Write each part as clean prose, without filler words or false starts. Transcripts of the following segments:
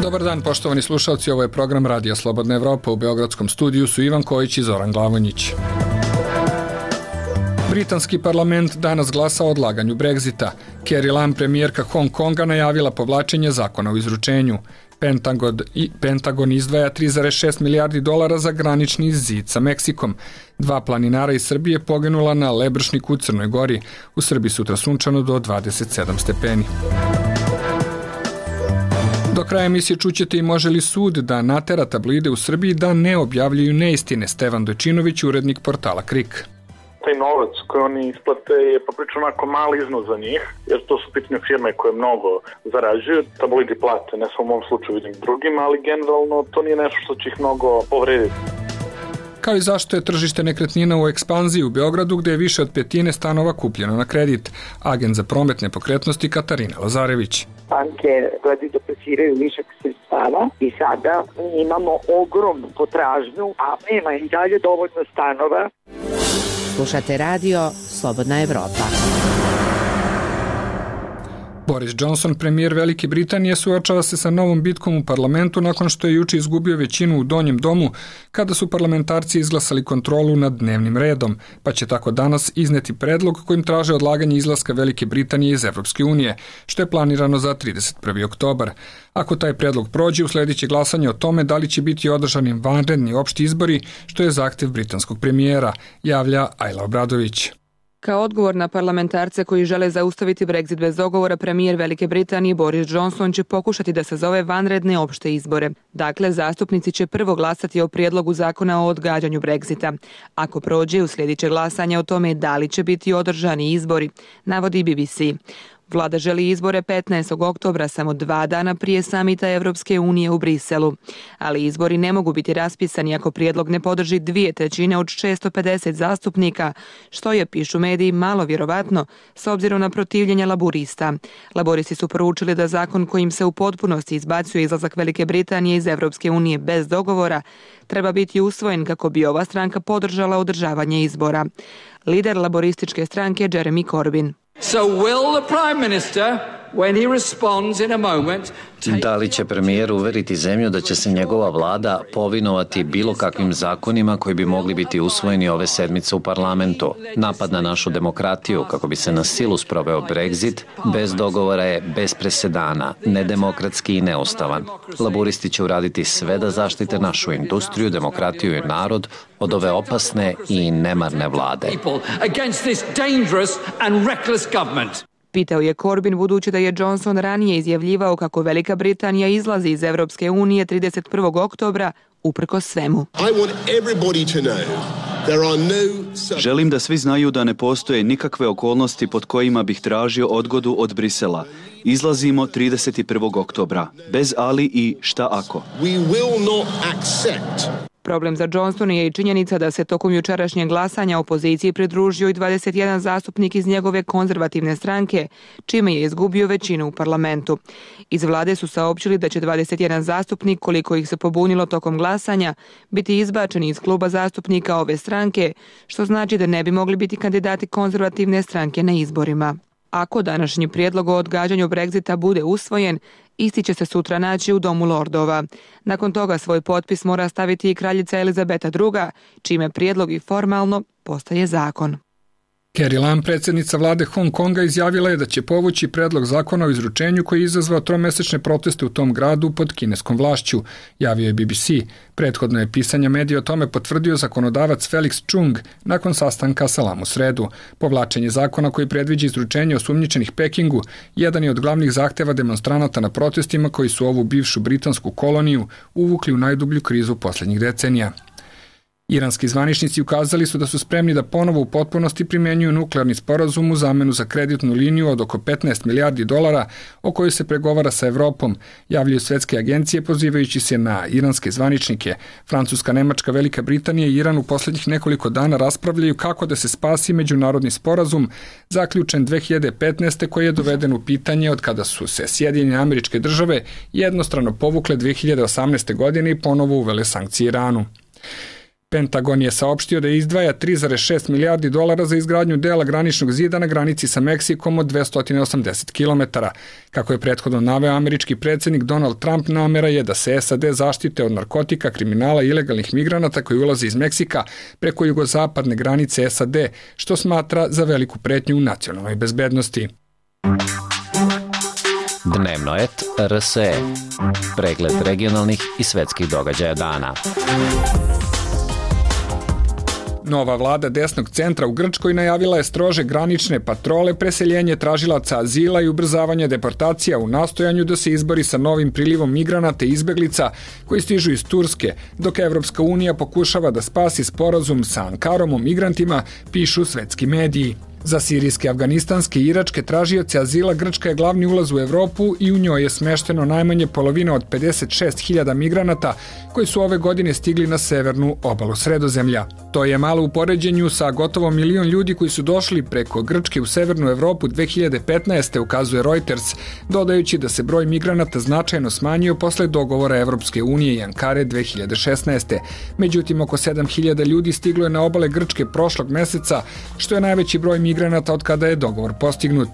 Dobar dan, poštovani slušalci, ovo je program Radija Slobodna Evropa. U beogradskom studiju su Ivan Kojić i Zoran Glavonjić. Britanski parlament danas glasa o odlaganju Brexita. Carrie Lam, premijerka Hong Konga, najavila povlačenje zakona o izručenju. Pentagon izdvaja 3,6 milijardi dolara za granični zid sa Meksikom. 2 planinara iz Srbije poginula na Lebršniku u Crnoj Gori. U Srbiji sutra sunčano do 27 stepeni. Do kraja emisije čućete i može li sud da natera tabloide u Srbiji da ne objavljuju neistine. Stevan Dojčinović, urednik portala KRIK. Taj novac koji oni isplate je poprično onako mali iznos za njih, jer to su pitne firme koje mnogo zarađuju. Tabloidi plate, ne samo u mom slučaju, vidim drugima, ali generalno to nije nešto što će ih mnogo povrediti. Kao i zašto je tržište nekretnina u ekspanziji u Beogradu, gde je više od 1/5 stanova kupljeno na kredit. Agent za promet nepokretnosti Katarina Lazarević. Banke gledaju da plasiraju višak sredstava i sada imamo ogromnu potražnju, a nema i dalje dovoljno stanova. Slušate radio Slobodna Evropa. Boris Johnson, premijer Velike Britanije, suočava se sa novom bitkom u parlamentu nakon što je juče izgubio većinu u Donjem domu kada su parlamentarci izglasali kontrolu nad dnevnim redom, pa će tako danas izneti predlog kojim traže odlaganje izlaska Velike Britanije iz Evropske unije, što je planirano za 31. oktobar. Ako taj predlog prođe, usledit će glasanje o tome da li će biti održani vanredni opšti izbori, što je zahtev britanskog premijera, javlja Ajla Obradović. Kao odgovor na parlamentarce koji žele zaustaviti Brexit bez dogovora, premijer Velike Britanije Boris Johnson će pokušati da sazove vanredne opšte izbore. Dakle, zastupnici će prvo glasati o prijedlogu zakona o odgađanju Brexita. Ako prođe, uslijedit će glasanje o tome da li će biti održani izbori, navodi BBC. Vlada želi izbore 15. oktobra, samo 2 dana prije samita Evropske unije u Briselu. Ali izbori ne mogu biti raspisani ako prijedlog ne podrži 2/3 od 650 zastupnika, što je, pišu mediji, malo vjerovatno s obzirom na protivljenje laburista. Laboristi su poručili da zakon kojim se u potpunosti izbacuje izlazak Velike Britanije iz Evropske unije bez dogovora treba biti usvojen kako bi ova stranka podržala održavanje izbora. Lider laborističke stranke Jeremy Corbyn. Da li će premijer uveriti zemlju da će se njegova vlada povinovati bilo kakvim zakonima koji bi mogli biti usvojeni ove sedmice u parlamentu? Napad na našu demokratiju kako bi se na silu sproveo Brexit bez dogovora je bez presedana, nedemokratski i neustavan. Laburisti će uraditi sve da zaštite našu industriju, demokratiju i narod od ove opasne i nemarne vlade. Pitao je Corbyn, budući da je Johnson ranije izjavljivao kako Velika Britanija izlazi iz Evropske unije 31. oktobra uprkos svemu. Želim da svi znaju da ne postoje nikakve okolnosti pod kojima bih tražio odgodu od Brisela. Izlazimo 31. oktobra, bez ali i šta ako. Problem za Johnsona je i činjenica da se tokom jučerašnjeg glasanja opoziciji pridružio i 21 zastupnik iz njegove konzervativne stranke, čime je izgubio većinu u parlamentu. Iz vlade su saopćili da će 21 zastupnik, koliko ih se pobunilo tokom glasanja, biti izbačeni iz kluba zastupnika ove stranke, što znači da ne bi mogli biti kandidati konzervativne stranke na izborima. Ako današnji prijedlog o odgađanju Brexita bude usvojen, isti će se sutra naći u Domu lordova. Nakon toga svoj potpis mora staviti i kraljica Elizabeta II, čime prijedlog i formalno postaje zakon. Carrie Lam, predsjednica vlade Hong Konga, izjavila je da će povući predlog zakona o izručenju koji je izazvao 3-mesečne proteste u tom gradu pod kineskom vlašću, javio je BBC. Prethodno je pisanje medija o tome potvrdio zakonodavac Felix Chung nakon sastanka sa Lam u sredu. Povlačenje zakona koji predviđa izručenje osumnjičenih Pekingu jedan je od glavnih zahteva demonstranata na protestima koji su ovu bivšu britansku koloniju uvukli u najdublju krizu posljednjih decenija. Iranski zvaničnici ukazali su da su spremni da ponovo u potpunosti primjenjuju nuklearni sporazum u zamenu za kreditnu liniju od oko 15 milijardi dolara o kojoj se pregovara sa Evropom, javljaju svetske agencije pozivajući se na iranske zvaničnike. Francuska, Nemačka, Velika Britanija i Iran u posljednjih nekoliko dana raspravljaju kako da se spasi međunarodni sporazum zaključen 2015. koji je doveden u pitanje od kada su se Sjedinjene Američke Države jednostrano povukle 2018. godine i ponovo uvele sankcije Iranu. Pentagon je saopštio da izdvaja 3,6 milijardi dolara za izgradnju dela graničnog zida na granici sa Meksikom od 280 km. Kako je prethodno naveo američki predsjednik Donald Trump, namera je da se SAD zaštite od narkotika, kriminala i ilegalnih migranata koji ulaze iz Meksika preko jugozapadne granice SAD, što smatra za veliku pretnju u nacionalnoj bezbednosti. Dnevno et RSE. Pregled regionalnih i svetskih događaja dana. Nova vlada desnog centra u Grčkoj najavila je strože granične patrole, preseljenje tražilaca azila i ubrzavanje deportacija u nastojanju da se izbori sa novim prilivom migranata i izbeglica koji stižu iz Turske, dok Evropska unija pokušava da spasi sporazum sa Ankarom o migrantima, pišu svetski mediji. Za sirijske, afganistanske i iračke tražioce azila Grčka je glavni ulaz u Evropu i u njoj je smešteno najmanje polovina od 56.000 migranata koji su ove godine stigli na severnu obalu Sredozemlja. To je malo u poređenju sa gotovo 1 milion ljudi koji su došli preko Grčke u severnu Evropu 2015. ukazuje Reuters, dodajući da se broj migranata značajno smanjio posle dogovora Evropske unije i Ankare 2016. Međutim, oko 7.000 ljudi stiglo je na obale Grčke prošlog meseca, što je najveći broj migranata od kada je dogovor postignut.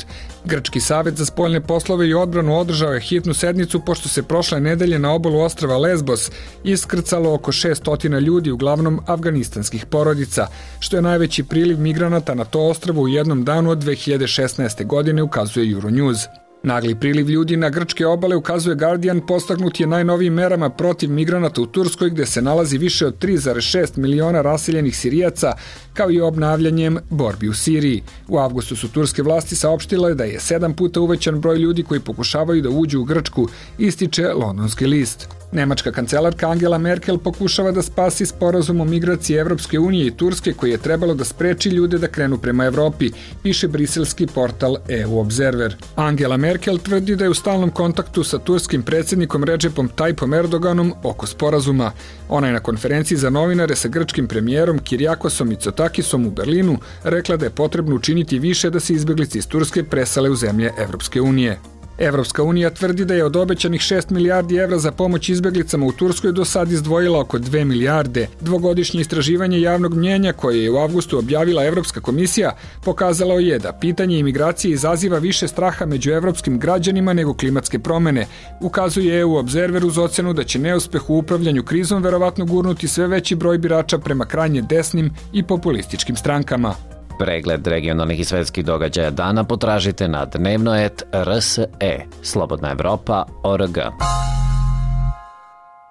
Grčki savet za spoljne poslove i odbranu održao je hitnu sednicu pošto se prošle nedelje na obalu ostrva Lesbos iskrcalo oko 600 ljudi, uglavnom afganistanskih porodica, što je najveći priliv migranata na to ostrvo u jednom danu od 2016. godine, ukazuje Euronews. Nagli priliv ljudi na grčke obale, ukazuje Guardian, podstaknut je najnovijim merama protiv migranata u Turskoj, gde se nalazi više od 3,6 miliona raseljenih Sirijaca, kao i obnavljanjem borbi u Siriji. U avgustu su turske vlasti saopštile da je 7 puta uvećan broj ljudi koji pokušavaju da uđu u Grčku, ističe londonski list. Nemačka kancelarka Angela Merkel pokušava da spasi sporazum o migraciji Evropske unije i Turske koji je trebalo da spreči ljude da krenu prema Evropi, piše briselski portal EU Observer. Angela Merkel tvrdi da je u stalnom kontaktu sa turskim predsjednikom Recepom Tayyipom Erdoganom oko sporazuma. Ona je na konferenciji za novinare sa grčkim premijerom Kiriakosom Mitsotakisom u Berlinu rekla da je potrebno učiniti više da se izbeglice iz Turske presele u zemlje Evropske unije. Evropska unija tvrdi da je od obećanih 6 milijardi evra za pomoć izbeglicama u Turskoj do sad izdvojila oko 2 milijarde. Dvogodišnje istraživanje javnog mnjenja koje je u avgustu objavila Evropska komisija pokazalo je da pitanje imigracije izaziva više straha među evropskim građanima nego klimatske promene. Ukazuje EU Observer uz ocenu da će neuspeh u upravljanju krizom verovatno gurnuti sve veći broj birača prema krajnje desnim i populističkim strankama. Pregled regionalnih i svetskih događaja dana potražite na dnevno.rs.e. Slobodna Evropa.org.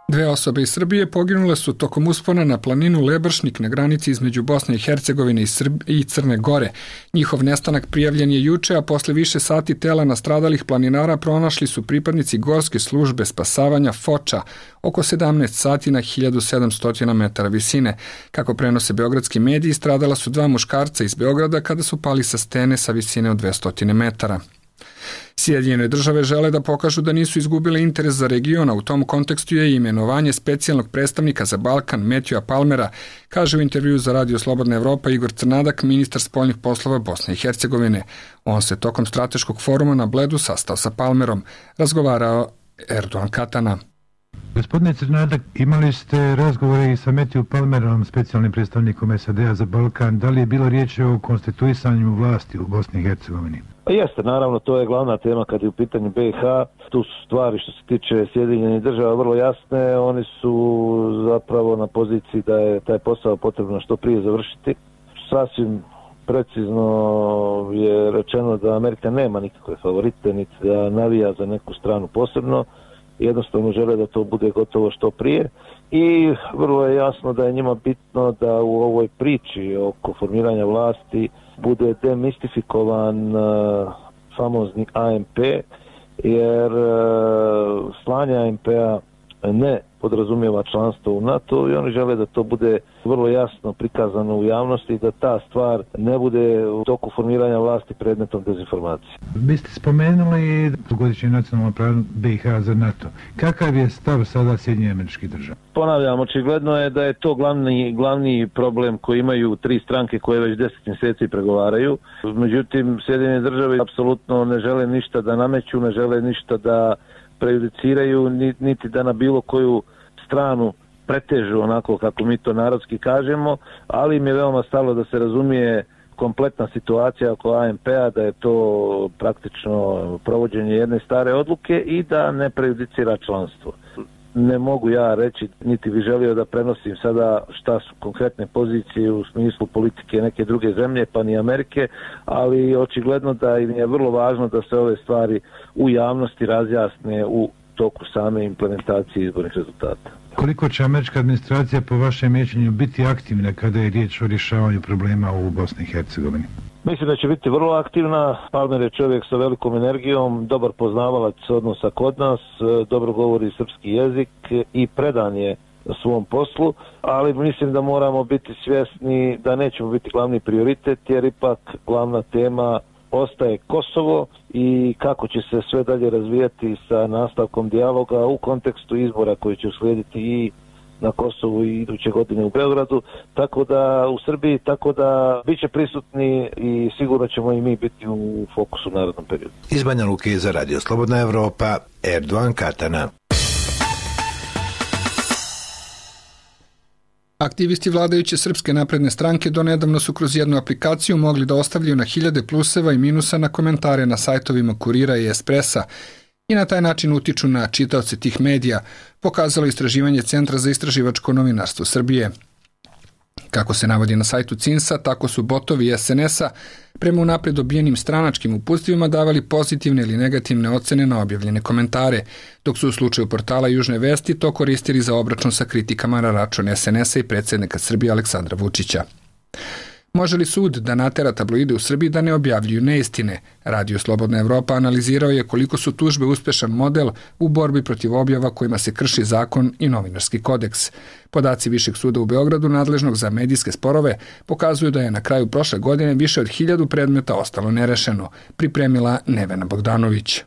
2 osobe iz Srbije poginule su tokom uspona na planinu Lebršnik na granici između Bosne i Hercegovine i Crne Gore. Njihov nestanak prijavljen je juče, a posle više sati tela nastradalih planinara pronašli su pripadnici Gorske službe spasavanja Foča oko 17 sati na 1700 metara visine. Kako prenose beogradski mediji, stradala su 2 muškarca iz Beograda kada su pali sa stene sa visine od 200 metara. Sjedinjene države žele da pokažu da nisu izgubile interes za region, a u tom kontekstu je imenovanje specijalnog predstavnika za Balkan Matthewa Palmera, kaže u intervjuu za Radio Slobodna Evropa Igor Crnadak, ministar spoljnih poslova Bosne i Hercegovine. On se tokom strateškog foruma na Bledu sastao sa Palmerom, razgovarao Erdogan Katana. Gospodine Crnadak, imali ste razgovore i sa Matthew Palmerom, specijalnim predstavnikom SAD-a za Balkan. Da li je bilo riječ o konstituisanju vlasti u Bosni i Hercegovini? Jeste, naravno, to je glavna tema kad je u pitanju BiH. Tu su stvari što se tiče Sjedinjenih država vrlo jasne. Oni su zapravo na poziciji da je taj posao potrebno što prije završiti. Sasvim precizno je rečeno da Amerika nema nikakve favorite, niti da navija za neku stranu posebno. Jednostavno žele da to bude gotovo što prije i vrlo je jasno da je njima bitno da u ovoj priči oko formiranja vlasti bude demistifikovan famozni ANP, jer slanje ANP-a ne podrazumijeva članstvo u NATO i oni žele da to bude vrlo jasno prikazano u javnosti i da ta stvar ne bude u toku formiranja vlasti predmetom dezinformacije. Vi ste spomenuli godišnji nacionalni plan BiH za NATO. Kakav je stav sada Sjedinjenih Američkih Država? Ponavljam, očigledno je da je to glavni problem koji imaju 3 stranke koje već 10 mjeseci pregovaraju. Međutim, Sjedinjene Države apsolutno ne žele ništa da nameću, ne žele ništa da prejudiciraju, niti da na bilo koju stranu pretežu onako kako mi to narodski kažemo, ali im je veoma stalo da se razumije kompletna situacija oko AMP-a, da je to praktično provođenje jedne stare odluke i da ne prejudicira članstvo. Ne mogu ja reći, niti bi želio da prenosim sada šta su konkretne pozicije u smislu politike neke druge zemlje, pa ni Amerike, ali očigledno da im je vrlo važno da se ove stvari u javnosti razjasne u toku same implementacije izbornih rezultata. Koliko će američka administracija po vašem mišljenju biti aktivna kada je riječ o rješavanju problema u Bosni i Hercegovini? Mislim da će biti vrlo aktivna. Palmer je čovjek sa velikom energijom, dobar poznavalac odnosa kod nas, dobro govori srpski jezik i predan je na svom poslu, ali mislim da moramo biti svjesni da nećemo biti glavni prioritet, jer ipak glavna tema ostaje Kosovo i kako će se sve dalje razvijati sa nastavkom dijaloga u kontekstu izbora koji će uslijediti i na Kosovu i iduće godine u Beogradu, tako da u Srbiji, tako da bit će prisutni i sigurno ćemo i mi biti u fokusu u narednom periodu. Iz Banja Luke za Radio Slobodna Evropa, Erdogan Katana. Aktivisti vladajuće Srpske napredne stranke donedavno su kroz jednu aplikaciju mogli da ostavljaju na hiljade pluseva i minusa na komentare na sajtovima Kurira i Espressa i na taj način utiču na čitaoce tih medija, pokazalo istraživanje Centra za istraživačko novinarstvo Srbije. Kako se navodi na sajtu CINS-a, tako su botovi SNS-a prema unapred dobijenim stranačkim uputstvima davali pozitivne ili negativne ocene na objavljene komentare, dok su u slučaju portala Južne vesti to koristili za obračun sa kritikama na račun SNS-a i predsjednika Srbije Aleksandra Vučića. Može li sud da natera tabloide u Srbiji da ne objavljuju neistine? Radio Slobodna Evropa analizirao je koliko su tužbe uspešan model u borbi protiv objava kojima se krši zakon i novinarski kodeks. Podaci Višeg suda u Beogradu, nadležnog za medijske sporove, pokazuju da je na kraju prošle godine više od 1000 predmeta ostalo nerešeno, pripremila Nevena Bogdanović.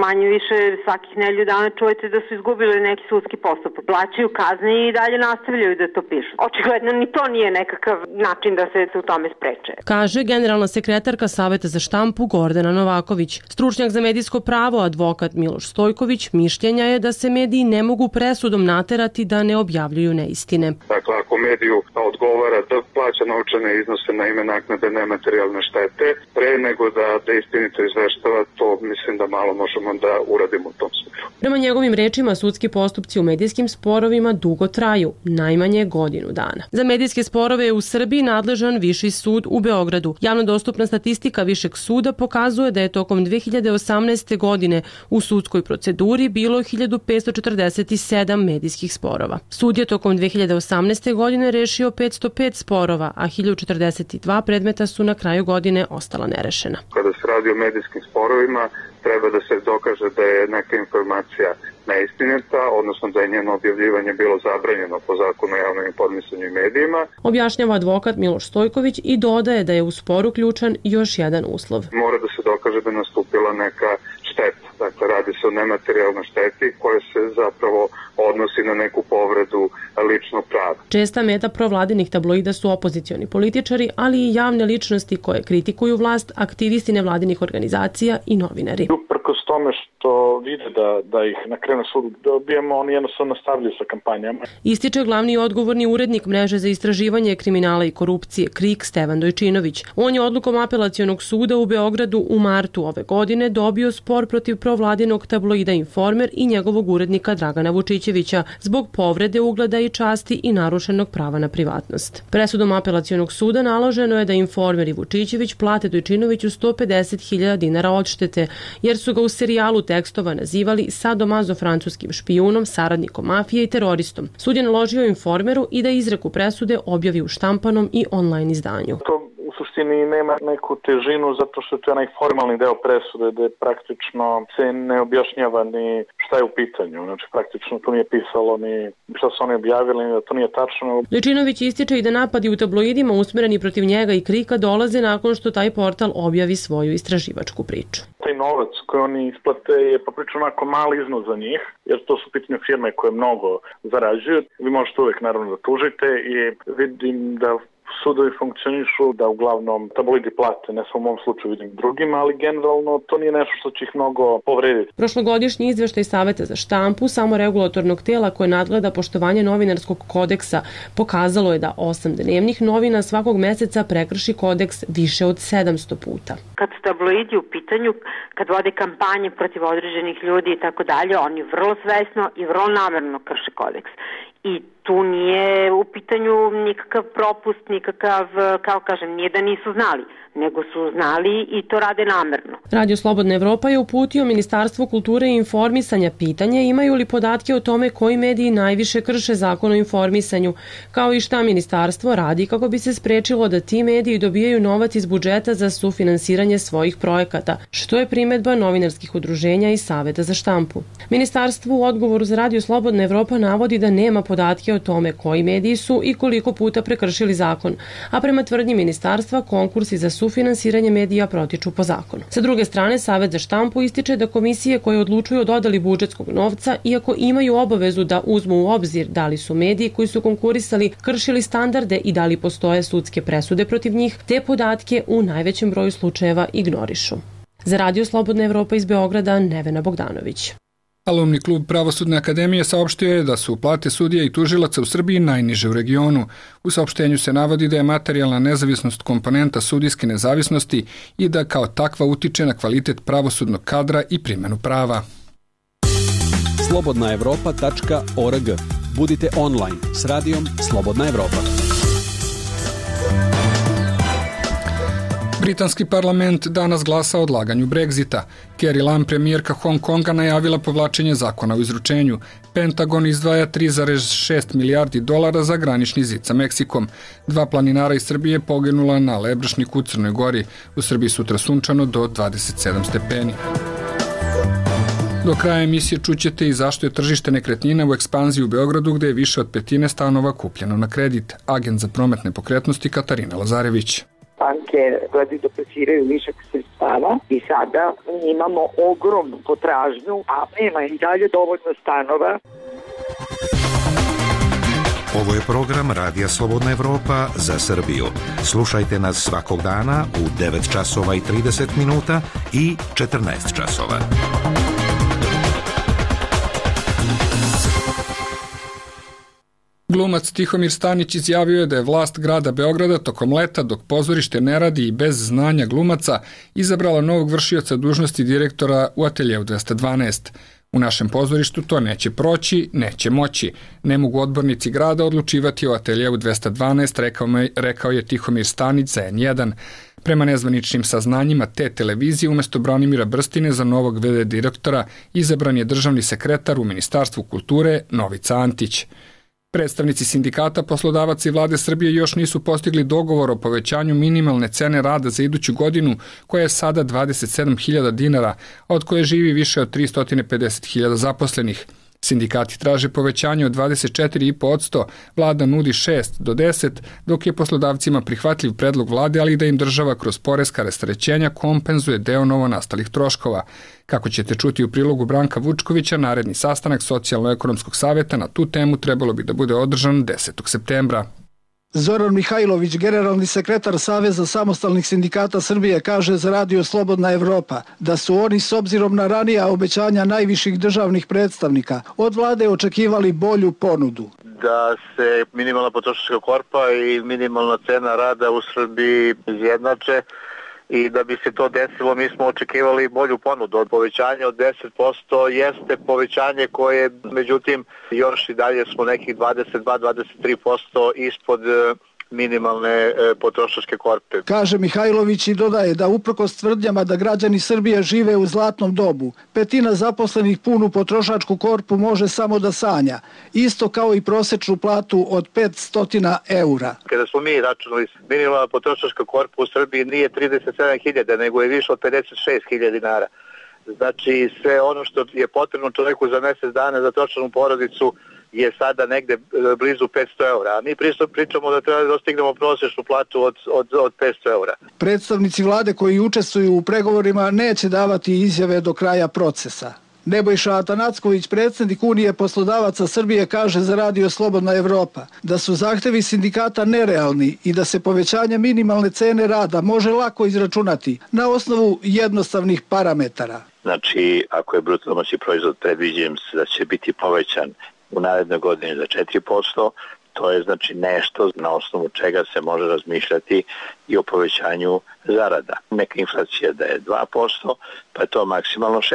Manje više svakih nedelju dana čujete da su izgubili neki sudski postupak. Plaćaju kazne i dalje nastavljaju da to pišu. Očigledno ni to nije nekakav način da se u tome spreče. Kaže generalna sekretarka Saveta za štampu Gordana Novaković. Stručnjak za medijsko pravo, advokat Miloš Stojković, mišljenja je da se mediji ne mogu presudom naterati da ne objavljuju neistine. Dakle, ako mediju odgovara da plaća novčane iznose na ime naknade nematerijalne štete, pre nego da istinito izveštava, to mislim da malo možemo da uradimo u tom smislu. Prema njegovim rečima, sudski postupci u medijskim sporovima dugo traju, najmanje godinu dana. Za medijske sporove je u Srbiji nadležan Viši sud u Beogradu. Javno dostupna statistika Višeg suda pokazuje da je tokom 2018. godine u sudskoj proceduri bilo 1547 medijskih sporova. Sud je tokom 2018. godine rešio 505 sporova, a 1042 predmeta su na kraju godine ostala nerešena. Kada se radi o medijskim sporovima, treba da se dokaže da je neka informacija neistinita, odnosno da je njeno objavljivanje bilo zabranjeno po zakonu o javnom informisanju i medijima. Objašnjava advokat Miloš Stojković i dodaje da je u spor uključen još jedan uslov. Mora da se dokaže da je nastupila neka šteta. Dakle, radi se o nematerijalnoj šteti koja se zapravo odnosi na neku povredu ličnog prava. Česta meta provladinih tabloida su opozicioni političari, ali i javne ličnosti koje kritikuju vlast, aktivisti nevladinih organizacija i novinari. Uprkos tome što vide da ih na kraju sudu dobijemo, oni jednostavno nastavljaju sa kampanjama. Ističe glavni odgovorni urednik mreže za istraživanje kriminala i korupcije KRIK Stevan Dojčinović. On je odlukom apelacionog suda u Beogradu u martu ove godine dobio spor protiv provladinog tabloida Informer i njegovog urednika Dragana Vučićevića zbog povrede ugleda i časti i narušenog prava na privatnost. Presudom apelacionog suda naloženo je da Informer i Vučićević plate Dojčinoviću 150.000 dinara odštete, jer su ga u serijalu tekstova nazivali sadomazo-francuskim špijunom, saradnikom mafije i teroristom. Sud je naložio Informeru i da izreku presude objavi u štampanom i online izdanju. U suštini nema neku težinu zato što je to onaj formalni deo presude gde praktično se ne objašnjava ni šta je u pitanju. Znači praktično tu nije pisalo ni šta su oni objavili, ni da to nije tačno. Dojčinović ističe i da napadi u tabloidima usmereni protiv njega i KRIK-a dolaze nakon što taj portal objavi svoju istraživačku priču. Taj novac koji oni isplate je poprično onako mali iznos za njih, jer to su pitanje firme koje mnogo zarađuju. Vi možete uvek naravno da tužite i vidim da sudovi funkcionišu, da uglavnom tabloidi plate, ne samo u mom slučaju vidim drugima, ali generalno to nije nešto što će ih mnogo povrediti. Prošlogodišnji izveštaj Saveta za štampu, samo regulatornog tela koje nadgleda poštovanje novinarskog kodeksa, pokazalo je da 8 dnevnih novina svakog meseca prekrši kodeks više od 700 puta. Kad su tabloidi u pitanju, kad vode kampanje protiv određenih ljudi i tako dalje, oni vrlo svesno i vrlo namerno krše kodeks. I tu nije u pitanju nikakav propust, nikakav, kao kažem, nije da nisu znali, nego su znali i to rade namerno. Radio Slobodna Evropa je uputio Ministarstvu kulture i informisanja pitanje imaju li podatke o tome koji mediji najviše krše zakon o informisanju, kao i šta ministarstvo radi kako bi se sprečilo da ti mediji dobijaju novac iz budžeta za sufinansiranje svojih projekata, što je primedba novinarskih udruženja i Saveta za štampu. Ministarstvo u odgovoru za Radio Slobodna Evropa navodi da nema podatke o tome koji mediji su i koliko puta prekršili zakon, a prema tvrdnji ministarstva konkursi za sufinansiranje medija protiču po zakonu. Sa druge strane, Savet za štampu ističe da komisije koje odlučuju o dodali budžetskog novca, iako imaju obavezu da uzmu u obzir da li su mediji koji su konkurisali kršili standarde i da li postoje sudske presude protiv njih, te podatke u najvećem broju slučajeva ignorišu. Za Radio Slobodna Evropa iz Beograda, Nevena Bogdanović. Alumni klub Pravosudne akademije saopštio je da su plate sudija i tužilaca u Srbiji najniže u regionu. U saopštenju se navodi da je materijalna nezavisnost komponenta sudijske nezavisnosti i da kao takva utiče na kvalitet pravosudnog kadra i primjenu prava. slobodnaevropa.org. Budite online s radijom Slobodna Evropa. Britanski parlament danas glasa o odlaganju Brexita. Carrie Lam, premijerka Hong Konga, najavila povlačenje zakona o izručenju. Pentagon izdvaja 3,6 milijardi dolara za granični zid sa Meksikom. 2 planinara iz Srbije poginula na Lebršniku u Crnoj Gori. U Srbiji sutra sunčano do 27 stepeni. Do kraja emisije čućete i zašto je tržište nekretnina u ekspanziji u Beogradu, gde je više od petine stanova kupljeno na kredit. Agent za promet nepokretnosti Katarina Lazarević. Banke gledaju da plasiraju višak sredstava i sada imamo ogromnu potražnju, a nema i dalje dovoljno stanova. Ovo je program Radija Slobodna Evropa za Srbiju. Slušajte nas svakog dana u 9 časova i 30 minuta i 14 časova. Glumac Tihomir Stanić izjavio je da je vlast grada Beograda tokom leta, dok pozorište ne radi i bez znanja glumaca, izabrala novog vršioca dužnosti direktora u Ateljeu 212. U našem pozorištu to neće proći, neće moći. Ne mogu odbornici grada odlučivati o Ateljeu 212, rekao je Tihomir Stanić za N1. Prema nezvaničnim saznanjima te televizije, umesto Branimira Brstine za novog VD direktora izabran je državni sekretar u Ministarstvu kulture Novica Antić. Predstavnici sindikata, poslodavaca i vlade Srbije još nisu postigli dogovor o povećanju minimalne cene rada za iduću godinu, koja je sada 27.000 dinara, a od koje živi više od 350.000 zaposlenih. Sindikati traže povećanje od 24,5%, vlada nudi 6 do 10, dok je poslodavcima prihvatljiv predlog vlade, ali da im država kroz poreska rasterećenja kompenzuje deo novonastalih troškova. Kako ćete čuti u prilogu Branka Vučkovića, naredni sastanak Socijalno-ekonomskog saveta na tu temu trebalo bi da bude održan 10. septembra. Zoran Mihajlović, generalni sekretar Saveza samostalnih sindikata Srbije, kaže za Radio Slobodna Evropa da su oni s obzirom na ranija obećanja najviših državnih predstavnika od vlade očekivali bolju ponudu. Da se minimalna potrošačka korpa i minimalna cena rada u Srbiji izjednače i da bi se to desilo mi smo očekivali bolju ponudu. Od povećanja od 10% jeste povećanje koje, međutim, još i dalje smo nekih 22-23% ispod minimalne potrošačke korpe. Kaže Mihajlović i dodaje da uprkos tvrdnjama da građani Srbije žive u zlatnom dobu, petina zaposlenih punu potrošačku korpu može samo da sanja, isto kao i prosečnu platu od 500 eura. Kada smo mi računali, minimalna potrošačka korpa u Srbiji nije 37.000, nego je više od 56.000 dinara. Znači sve ono što je potrebno čovjeku za mjesec dana za tročlanu porodicu je sada negde blizu 500 eura. A mi pričamo da treba da dostignemo prosječnu platu od 500 eura. Predstavnici vlade koji učestvuju u pregovorima neće davati izjave do kraja procesa. Nebojša Atanacković, predsjednik Unije poslodavaca Srbije, kaže za Radio Slobodna Evropa da su zahtevi sindikata nerealni i da se povećanje minimalne cene rada može lako izračunati na osnovu jednostavnih parametara. Znači, ako je bruto domaći proizvod predviđen da će biti povećan u narednoj godini za 4%, to je znači nešto na osnovu čega se može razmišljati i o povećanju zarada. Neka inflacija da je 2%, pa je to maksimalno 6%.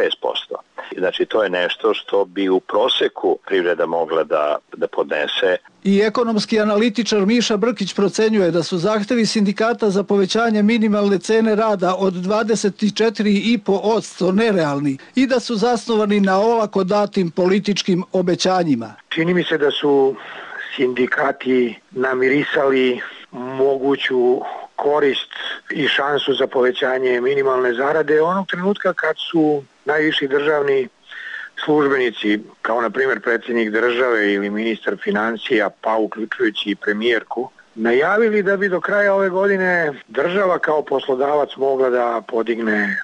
Znači to je nešto što bi u proseku privreda mogla da podnese. I ekonomski analitičar Miša Brkić procenjuje da su zahtevi sindikata za povećanje minimalne cene rada od 24,5% nerealni i da su zasnovani na olako datim političkim obećanjima. Čini mi se da su sindikati namirisali moguću korist i šansu za povećanje minimalne zarade onog trenutka kad su najviši državni službenici, kao na primjer predsjednik države ili ministar financija, pa uključujući i premijerku, najavili da bi do kraja ove godine država kao poslodavac mogla da podigne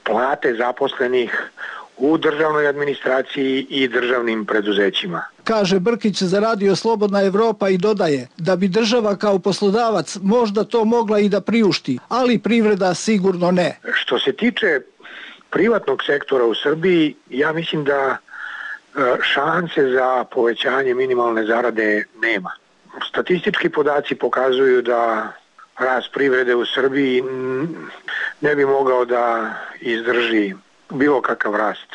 plate zaposlenih u državnoj administraciji i državnim preduzećima. Kaže Brkić za Radio Slobodna Evropa i dodaje da bi država kao poslodavac možda to mogla i da priušti, ali privreda sigurno ne. Što se tiče privatnog sektora u Srbiji, ja mislim da šanse za povećanje minimalne zarade nema. Statistički podaci pokazuju da rast privrede u Srbiji ne bi mogao da izdrži bilo kakav rast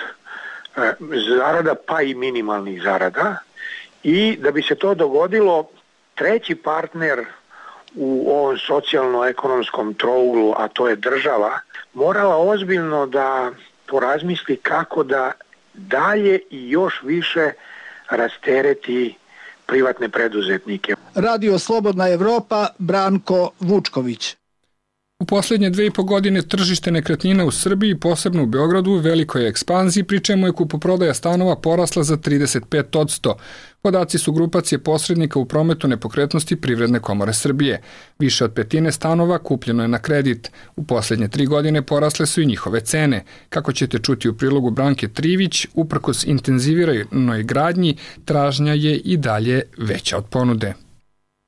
zarada, pa i minimalnih zarada, i da bi se to dogodilo, treći partner u ovom socijalno-ekonomskom trouglu, a to je država, morala ozbiljno da porazmisli kako da dalje i još više rastereti privatne preduzetnike. Radio Slobodna Evropa, Branko Vučković. U posljednje 2,5 godine tržište nekretnina u Srbiji, posebno u Beogradu, u velikoj ekspanziji, pri čemu je kupoprodaja stanova porasla za 35%. Podaci su grupacije posrednika u prometu nepokretnosti Privredne komore Srbije. Više od petine stanova kupljeno je na kredit. U posljednje 3 godine porasle su i njihove cene. Kako ćete čuti u prilogu Branke Trivić, uprkos intenziviranoj gradnji, tražnja je i dalje veća od ponude.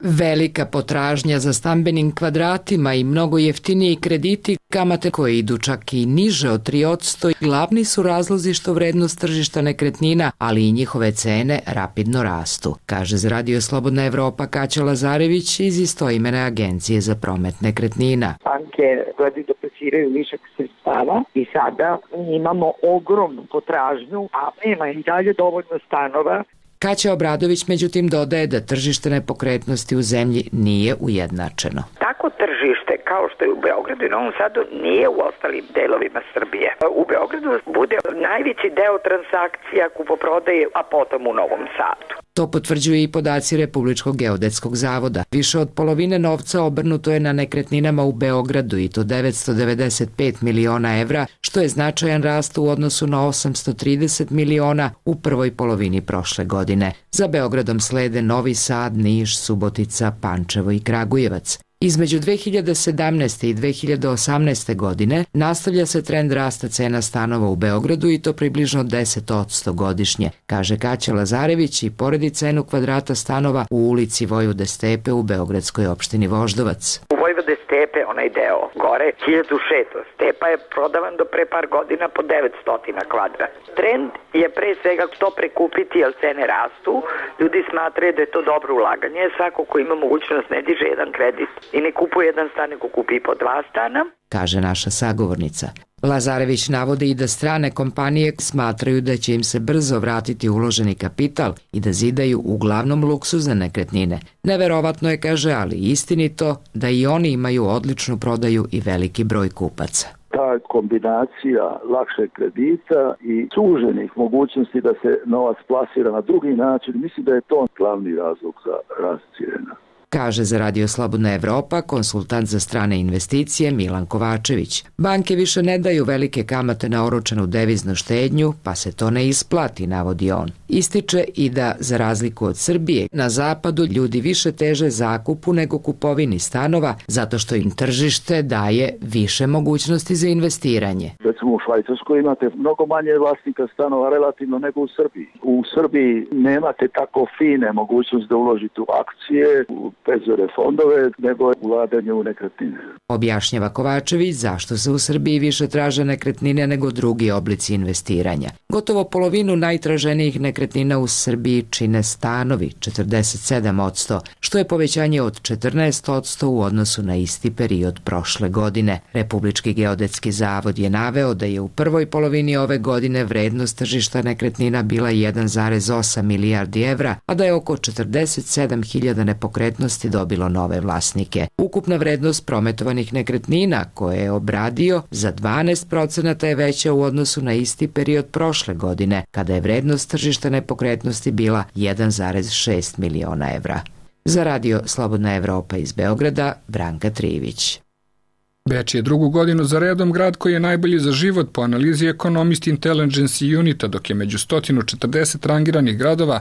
Velika potražnja za stambenim kvadratima i mnogo jeftiniji krediti, kamate koje idu čak i niže od 3%, glavni su razlozi što vrednost tržišta nekretnina, ali i njihove cene rapidno rastu, kaže za Radio Slobodna Evropa Kaća Lazarević iz istoimene agencije za promet nekretnina. Banke gledaju da plasiraju višak sredstava i sada imamo ogromnu potražnju, a nema i dalje dovoljno stanova. Kaća Obradović međutim dodaje da tržište nepokretnosti u zemlji nije ujednačeno. Tako tržište kao što je u Beogradu i Novom Sadu nije u ostalim delovima Srbije. U Beogradu bude najveći deo transakcija kupoprodaje, a potom u Novom Sadu. To potvrđuju i podaci Republičkog geodetskog zavoda. Više od polovine novca obrnuto je na nekretninama u Beogradu i to 995 miliona evra, što je značajan rast u odnosu na 830 miliona u prvoj polovini prošle godine. Za Beogradom slede Novi Sad, Niš, Subotica, Pančevo i Kragujevac. Između 2017. i 2018. godine nastavlja se trend rasta cena stanova u Beogradu i to približno 10% godišnje, kaže Kaća Lazarević i poredi cenu kvadrata stanova u ulici Vojvode Stepe u beogradskoj opštini Voždovac. U Vojvode Stepe, onaj deo gore, 1600. Stepa je prodavan do pre par godina po 900 kvadrat. Trend je pre svega to prekupiti, jer cene rastu. Ljudi smatraju da je to dobro ulaganje. Svako ko ima mogućnost ne diže jedan kredit i ne kupuje jedan stan, nego kupi po 2 stana, kaže naša sagovornica. Lazarević navodi i da strane kompanije smatraju da će im se brzo vratiti uloženi kapital i da zidaju uglavnom luksuzne nekretnine. Neverovatno je, kaže, ali istinito da i oni imaju odličnu prodaju i veliki broj kupaca. Ta kombinacija lakšeg kredita i suženih mogućnosti da se novac plasira na drugi način, mislim da je to glavni razlog za rast cijena. Kaže za Radio Slobodna Evropa konsultant za strane investicije Milan Kovačević. Banke više ne daju velike kamate na oročenu deviznu štednju, pa se to ne isplati, navodi on. Ističe i da, za razliku od Srbije, na zapadu ljudi više teže zakupu nego kupovini stanova, zato što im tržište daje više mogućnosti za investiranje. Recimo recimo u Švajcarskoj imate mnogo manje vlasnika stanova relativno nego u Srbiji. U Srbiji nemate tako fine mogućnosti da uložite u akcije, u penzijske fondove, nego ulaganje u nekretnine. Objašnjava Kovačević zašto se u Srbiji više traže nekretnine nego drugi oblici investiranja. Gotovo polovinu najtraženijih nekretnina u Srbiji čine stanovi, 47%, što je povećanje od 14% u odnosu na isti period prošle godine. Republički geodetski zavod je naveo da je u prvoj polovini ove godine vrednost tržišta nekretnina bila 1,8 milijardi evra, a da je oko 47.000 nepokretnosti dobilo nove vlasnike. Ukupna vrednost prometovanih nekretnina koje je obradio za 12% je veća u odnosu na isti period prošle godine, kada je vrednost tržišta nepokretnosti bila 1,6 miliona evra. Za radio Slobodna Evropa iz Beograda, Branka Trivić. Beč je drugu godinu za redom grad koji je najbolji za život po analizi Economist Intelligence Unita, dok je među 140 rangiranih gradova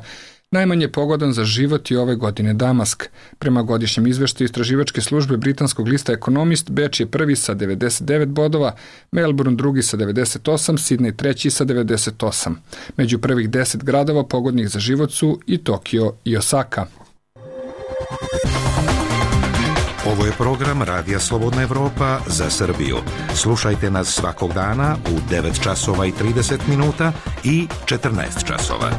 najmanje pogodan za život i ove godine Damask. Prema godišnjem izveštaju istraživačke službe britanskog lista Economist, Beč je prvi sa 99 bodova, Melbourne drugi sa 98, Sidney treći sa 98. Među prvih 10 gradova pogodnih za život su i Tokio i Osaka. Ovo je program Radija Slobodna Evropa za Srbiju. Slušajte nas svakog dana u 9 časova i 30 minuta i 14 časova.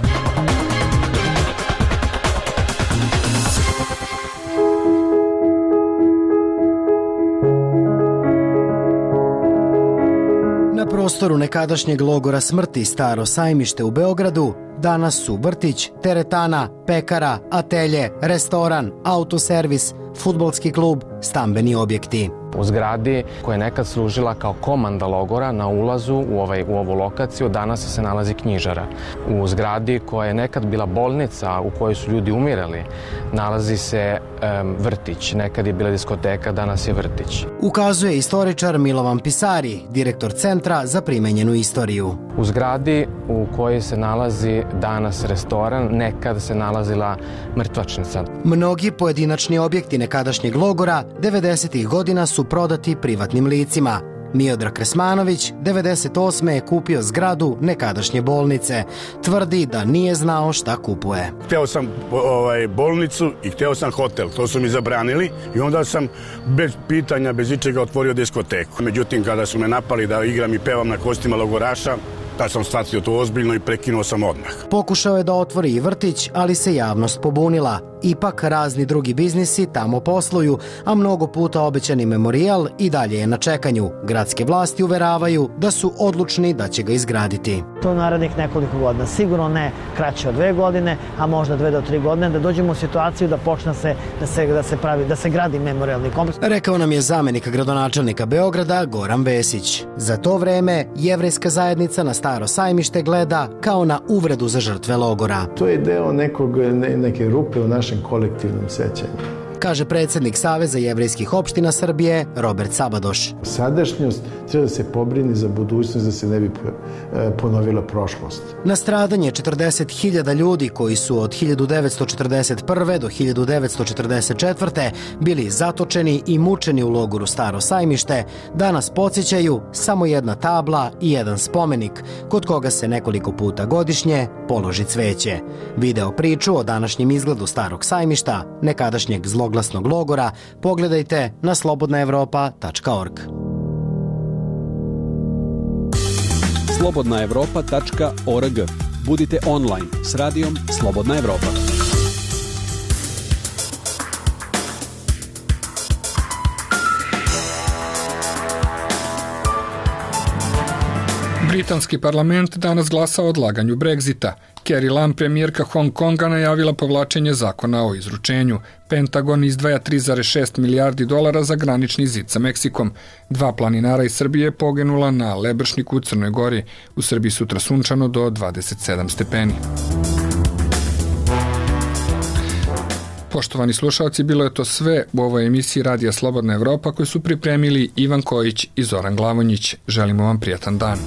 Na prostoru nekadašnjeg logora smrti Staro Sajmište u Beogradu danas su vrtić, teretana, pekara, atelje, restoran, autoservis, fudbalski klub, stambeni objekti. U zgradi koja je nekad služila kao komanda logora na ulazu u ovu lokaciju danas se nalazi knjižara. U zgradi koja je nekad bila bolnica u kojoj su ljudi umirali nalazi se vrtić. Nekad je bila diskoteka, danas je vrtić. Ukazuje istoričar Milovan Pisari, direktor Centra za primenjenu istoriju. U zgradi u kojoj se nalazi danas restoran, nekad se nalazila mrtvačnica. Mnogi pojedinačni objekti nekadašnjeg logora 90. godina su prodati privatnim licima. Miodrag Kresmanović 98. je kupio zgradu nekadašnje bolnice. Tvrdi da nije znao šta kupuje. Hteo sam bolnicu i hteo sam hotel. To su mi zabranili i onda sam bez pitanja, bez ičega otvorio diskoteku. Međutim, kada su me napali da igram i pevam na kostima logoraša, tad sam shvatio to ozbiljno i prekinuo sam odmah. Pokušao je da otvori i vrtić, ali se javnost pobunila. Ipak razni drugi biznisi tamo posluju, a mnogo puta obećani memorijal i dalje je na čekanju. Gradske vlasti uveravaju da su odlučni da će ga izgraditi. To narednih nekoliko godina, sigurno ne kraće od 2 godine, a možda 2 do 3 godine, da dođemo u situaciju da počne da se gradi memorijalni kompleks. Rekao nam je zamenik gradonačelnika Beograda Goran Vesić. Za to vreme jevrejska zajednica na Staro Sajmište gleda kao na uvredu za žrtve logora. To je deo neke rupe u našem kolektivnom sećanju, kaže predsjednik Saveza jevrejskih opština Srbije Robert Sabadoš. Sadašnjost treba da se pobrini za budućnost, da se ne bi ponovila prošlost. Na stradanje 40.000 ljudi koji su od 1941. do 1944. bili zatočeni i mučeni u logoru Staro Sajmište, danas podsjećaju samo jedna tabla i jedan spomenik, kod koga se nekoliko puta godišnje položi cveće. Video priču o današnjem izgledu Starog Sajmišta, nekadašnjeg zloglasnog logora, pogledajte na slobodnaevropa.org. slobodnaevropa.org. Budite online s radijom Slobodna Evropa. Britanski parlament danas glasa o odlaganju Brexita. Carrie Lam, premijerka Hong Konga, najavila povlačenje zakona o izručenju. Pentagon izdvaja 3,6 milijardi dolara za granični zid sa Meksikom. 2 planinara iz Srbije poginula na Lebršniku u Crnoj Gori. U Srbiji sutra sunčano do 27 stepeni. Poštovani slušalci, bilo je to sve u ovoj emisiji Radija Slobodna Evropa koju su pripremili Ivan Kojić i Zoran Glavonjić. Želimo vam prijatan dan.